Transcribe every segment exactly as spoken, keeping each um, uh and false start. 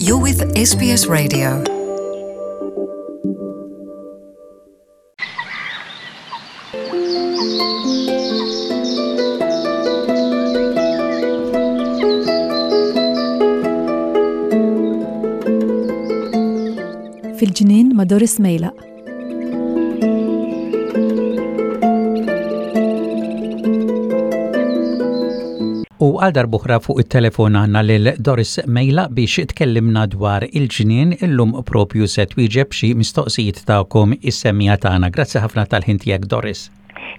You're with S B S Radio. Fil-ġnien ma' Doris Mejlaq. U għal darb'oħra fuq it-telefon għandna lil Doris Mejlaq biex tkellimna dwar il-ġnien. Illum propju se twieġeb xi mistoqsijiet tagħkom is-semmiegħa tagħna. Grazzi ħafna tal-ħin tiegħek, Doris.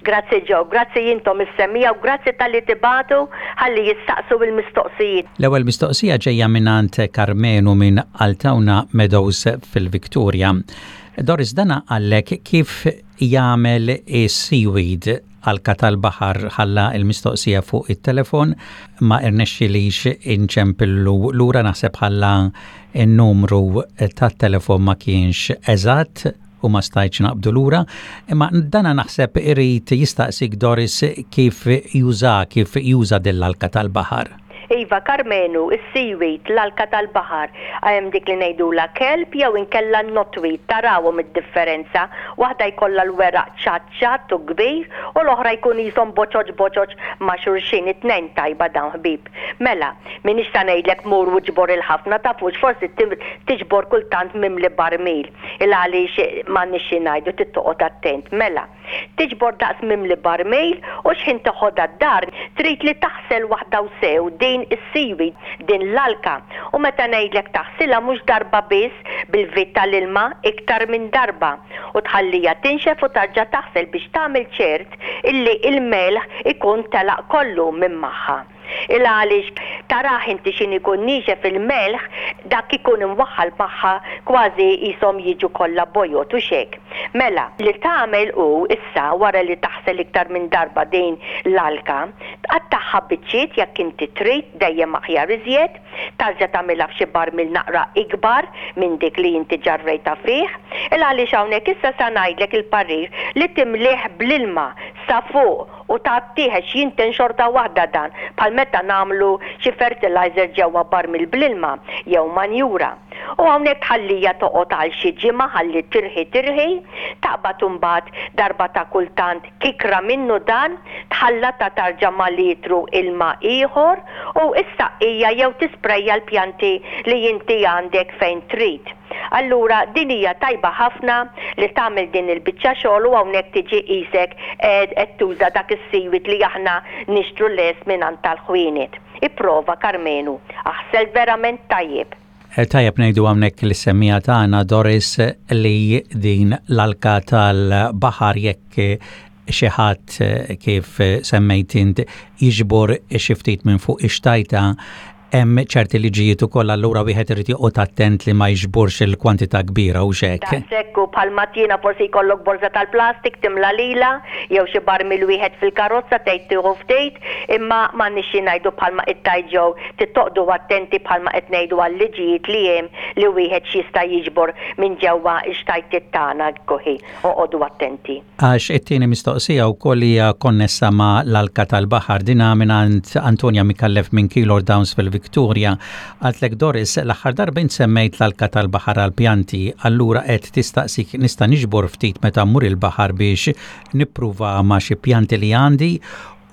Grazzi Joe, grazzi intom is-semmiegħa u grazzi talli tibagħtu ħalli jistaqsu il-mistoqsijiet. L-ewwel mistoqsija ġejja mingħand Karmenu minn Altona Meadows fil-Victoria. Doris, dana qallek kif jagħmel is-seaweed, alka tal-baħar. Ħalla il-mistoqsija fuq it-telefon, ma irnexxilix inċempillu lura, naħseb ħalla n-numru tat-telefon ma kienx eżatt u ma stajtx naqbdu lura, imma dana naħseb irid jistaqsik, Doris, kif juża kif juża dell-alka tal-baħar. Iva Karmenu, is-seaweed, l-alka tal-baħar, hemm dik li ngħidula kelp jew inkella knotweed, tarawhom id-differenza. Waħda jkollha l-weraq ċatt ċatt u kbir u l-oħra jkun qishom boċoċ boċoċ ma' xulxin. It-tnejn tajba dawn, ħbib. Mela, minix ta' ngħidlek mur u ġbor il-ħafna, tafux, forsi tiġbor kultant mimli barmil. Il għaliex m'għandniex xi ngħidu, trid attent. Mela, tiġbor daqs mimli barmil u xħin toħodha d-dar trid li taħsel waħda u sew din is-seaweed, din l-alka. U meta ngħidlek taħsilha, mhux darba biss bil-vit tal-ilma, iktar minn darba. U tħallija tinxef u tarġa' taħsel biex tagħmel ċert illi il-melħ ikun telaq kollu minn magħha. Il għaliex taraħ inti x'ħin ikun niexef il-melħ, dak ikun imwaħħal magħha, kważi qishom jiġu kollha bojod u hekk. Mela, li tagħmel u issa wara li taħsel iktar minn darba din l-alka, tqattagħha biċċiet jekk inti trid, dejjem aħjar iżjed, tarġa' tagħmilha f'xi barmil naqra ikbar minn dik li inti ġarrejta fih. Il għaliex hawnhekk issa sa ngħidlek il-parir li timlih bl-ilma sa fuq u tgħattih għax jinten xorta waħda dan, bħal meta nagħmlu xi fertilizer ġewwa barmil bl-ilma jew manjura. U hawnhekk tħallija toqgħod għal xi ġimgħa ħalli tirħi tirħi, taqbad imbagħad darba ta' kultant kikra minnu dan, tħallata tarġa' ma' litru ilma ieħor u issaqqija jew tisprejja l-pjanti li inti għandek fejn trid. Allura din hija tajba ħafna li tagħmel din il-biċċa xogħol u hawnhekk tiġi qisek qed tuża dak is-seaweed li aħna nixtru lest minn tal-ħwienet. Ipprova, Karmenu, aħsel verament tajjeb. Eh, tajjeb ngħidu hawnhekk lis-semmiegħa tagħna, Doris, li din l-alka tal-baħar, jekk xi ħadd, eh, kif semmejt int, jiġbor xi ftit minn fuq ix-xtajta, hemm ċerti liġijiet ukoll, allura wieħed irid joqgħod attent li ma jiġborx il-kwantità kbira u hekk. Daqshekk bħal tina forsi jkollok borza tal-plastik timla lila jew xi barmil wieħed fil-karozza, tgħid tieħu ftit, imma m'għandniex xi ngħidu, bħalma qed tgħid, trid toqogħdu attenti bħalma qed ngħidu għal-liġijiet li hemm li wieħed x'jista' jiġbor minn ġewwa x-xtajtiet tagħna kuħi. Oqogħdu attenti. Għax it-tieni mistoqsija wkoll hija konnessa ma' l-alka tal-baħar, dina minn Antonia Mikallef minn Keilor Downs fil-Victoria. Qaltlek, "Doris, l-aħħar darba semmejt l-alka tal-baħar għal-pjanti, allura qed tistaqsik nista' niġbor ftit meta mmur il-baħar biex nippruva ma' xi pjanti li għandi?"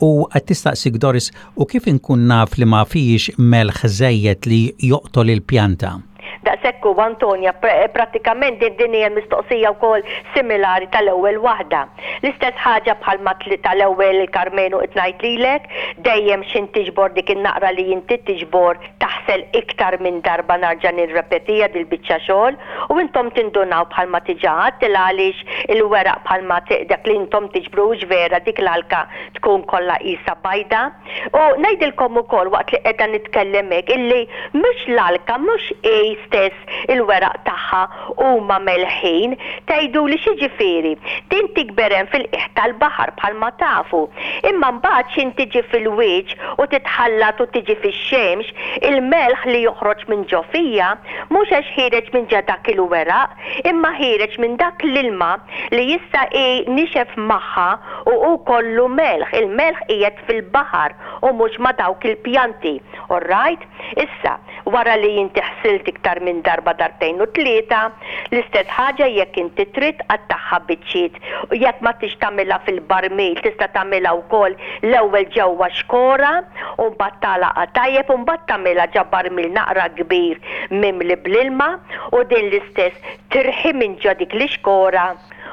U qed tistaqsik, Doris, u kif inkun naf li ma fix melħ żejjed li joqtol il-pjanta? Daqshekk u Antonia, prattikament din din hija mistoqsija wkoll similari tal-ewwel waħda. L-istess ħaġa bħalma tal-ewwel il-Karmenu qed ngħid lilek, dejjem x'ħin tiġbor dik in-naqra li inti tiġbor, taħsel iktar minn darba, narġa' nirrepetija dil-biċċa xogħol, u intom tindunaw bħalma diġà għedt għaliex il-weraq bħalma dak li intom tiġbru vera dik l-alka tkun kollha qisha bajda. U ngħidilkom ukoll waqt li qiegħda nitkellem hekk illi mhux l-alka, mhux hi stess, il-weraq tagħha huma melħin. Tgħidu li x'jiġifieri? Din tikber hemm fil-qiegħ tal-baħar bħalma tafu. Imma mbagħad x'ħin tiġi fil-wiċċ u titħallat u tiġi fix-xemx, il-melħ li joħroġ minn ġo fija mhux għax ħiereġ minn ġa dak il-weraq, imma ħiereġ minn dak l-ilma li jista' nixef magħha u hu kollu melħ. Il-melħ qiegħed fil-baħar u mhux ma' dawk il-pjanti. All right? Issa, wara li inti ħsilt iktar iktar minn darba, darbtejn u tlieta. L-istess ħaġa jekk inti trid qattagħha biċċiet u jekk ma tix tagħmilha fil-barmil tista' tagħmilha wkoll l-ewwel ġewwa xkora u mbagħad tagħlaqha tajjeb u mbagħad tagħmilha ġo barmil naqra kbir mimli bl-ilma u din l-istess tirħi minn ġo dik l-ixkora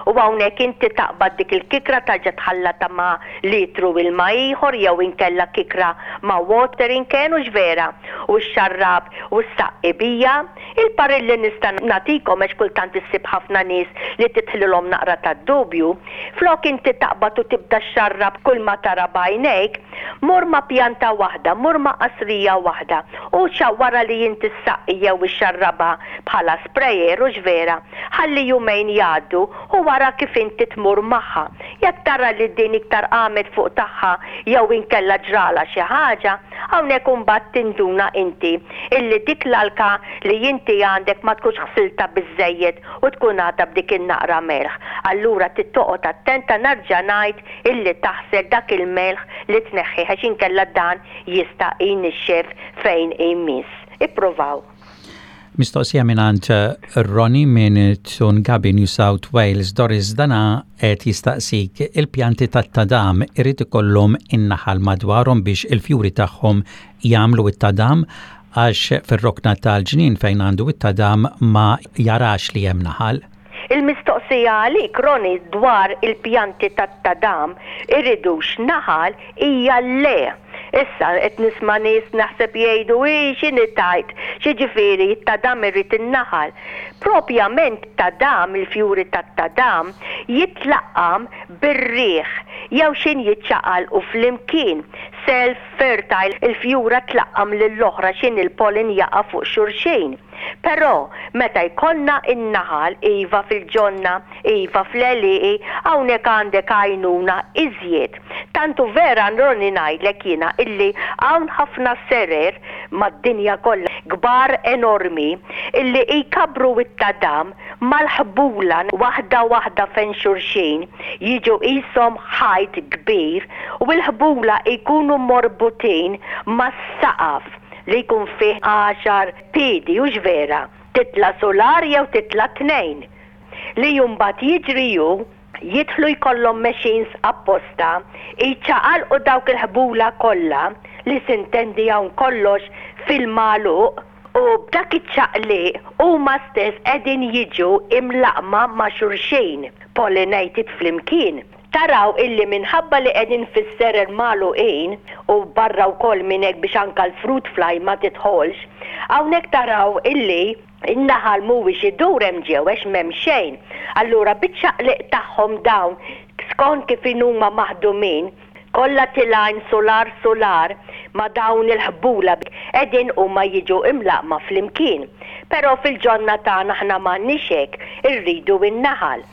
u hawnhekk inti taqbad dik il-kikra tarġa' tħallatha ma' litru ilma ieħor jew inkella kikra ma' watering can, hux vera, u xxarrab u ssaqqi biha. Il-parir li nista' nagħtikom, għax kultant issib ħafna nies li tidħlilhom naqra tad-dubju, flok inti taqbad u tibda xxarrab kull ma tara b'għajnejk, mur ma' pjanta waħda, mur ma' qasrija waħda u wara li inti ssaqqi jew ixxarrabha bħala sprayer, hux vera, ħalli jumejn jgħaddu u wara kif inti tmur magħha. Jekk tara li din iktar qamet fuq tagħha jew inkella ġralha xi ħaġa, hawnhekk imbagħad tinduna inti illi dik l-alka li inti għandek ma tkunx ħsiltha biżżejjed u tkun għadha b'dik in-naqra melħ. Allura trid toqgħod attenta, nerġa' ngħid, illi taħsel dak il-melħ li tneħħih għax inkella dan jista' jnixxef fejn imiss. Ippruvaw. Mistoqsija mingħand Ronnie minn Toongabbie, New South Wales. Doris, dana qed jistaqsik, il-pjanti tat-tadam irid ikollhom in-naħal madwarhom biex il-fjuri tagħhom jagħmlu it-tadam, għax fir-rokna tal-ġnien fejn għandu it-tadam ma jarax li hemm naħal? Il-mistoqsija għalik, Ronnie, dwar il-pjanti tat-tadam iridux naħal hija le. Issa qed nisma' nies naħseb jgħidu, "I x'inhi tgħid, x'jiġifieri t-tadam irid in-naħal?" Propjament tadam, il-fjuri tat-tadam jitlaqqam bir-riħ jew xin jiċċaqalqu flimkien. Self fertile, il-fjura tlaqqam lill-oħra xin il-pollen jaqa' fuq xulxin. Però meta jkollna in-naħal, iva fil-ġonna, iva fl-għelieqi, hawnhekk għandek għajnuna iżjed. Tantu vera, Ronnie, ngħidlek jiena illi hawn ħafna serer mad-dinja kollha kbar enormi illi jkabru it-tadam mal-ħbula waħda waħda fejn xulxin, jiġu qishom ħajt kbir u l-ħbula jkunu morbutin mas-saqaf li jkun fih għaxar piedi, hux vera, titla' solar jew titla' tnejn. Li mbagħad jiġri ju jidħlu jkollhom machines apposta, jċaqalqu dawk il-ħbula kollha li sintendi hawn kollox fil-magħluq u b'dak iċ-ċaqliq huma stess qegħdin jiġu imlaqma ma' xulxin, pollinated flimkien. Taraw illi minħabba li qegħdin fis-serer magħluqin u barra wkoll minn hekk biex anka l-fruit fly ma tidħolx, hawnhekk taraw illi in-naħal mhuwiex idur hemm ġew għax m'hemm xejn. Allura biċ-ċaqliq tagħhom dawn, skont kif huma maħdumin, kollha tilgħin solar solar ma' dawn il-ħbula qegħdin huma jiġu imlaqma flimkien. Però fil-ġonna tagħna aħna m'għandniex hekk, irridu in-naħal.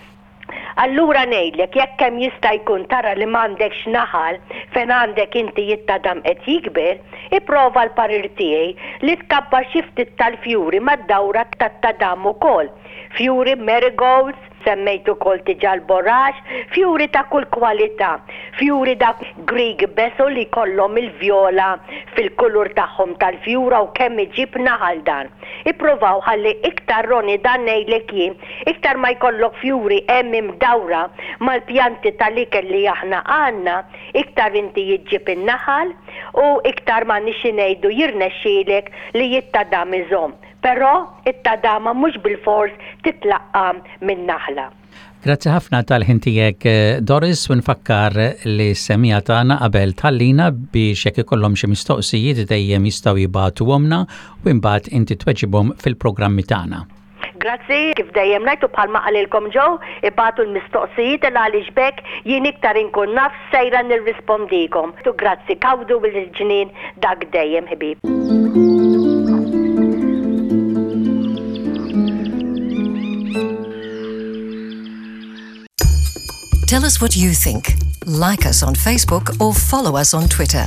Allura ngħidlek, jekk hemm jista' jkun tara li m'għandekx naħal fejn għandek inti it-tadam qed jikber, ipprova l-parir tiegħi li tkabbar xi ftit tal-fjuri mad-dawra tat-tadam ukoll. Fjuri marigolds, semmejt ukoll diġà l-borax, fjuri ta' kull kwalità, fjuri dak Greek basil li kollhom il-vjola fil-kulur tagħhom tal-fjura u kemm iġib naħal dan. Ippruvaw ħalli iktar, Ronnie, dan ngħidlek jien, iktar ma jkollok fjuri hemm imdawra mal-pjanti tal-ikel li aħna għandna, iktar inti jiġġib in-naħal u iktar ma nixi ngħidu jirnexxielek li it-tadam iżomm. Però it-tadama mhux bil-fors titlaqqam minn naħla. Grazzi ħafna tal-ħin tiegħek, Doris, u nfakkar lis-semmiegħa tagħna qabel tħallina biex jekk ikollhom xi mistoqsijiet dejjem jistgħu jibagħtuhomlna u imbagħad inti tweġibhom fil-programmi tagħna. Grazzi, kif dejjem ngħid u bħalma qalilkom Joe, ibagħtu l-mistoqsijiet il għaliex b'hekk jien iktar inkun naf sejra nirrispondikom. Tu grazzi, gawdu il-ġnien dak dejjem, ħbieb. Tell us what you think. Like us on Facebook or follow us on Twitter.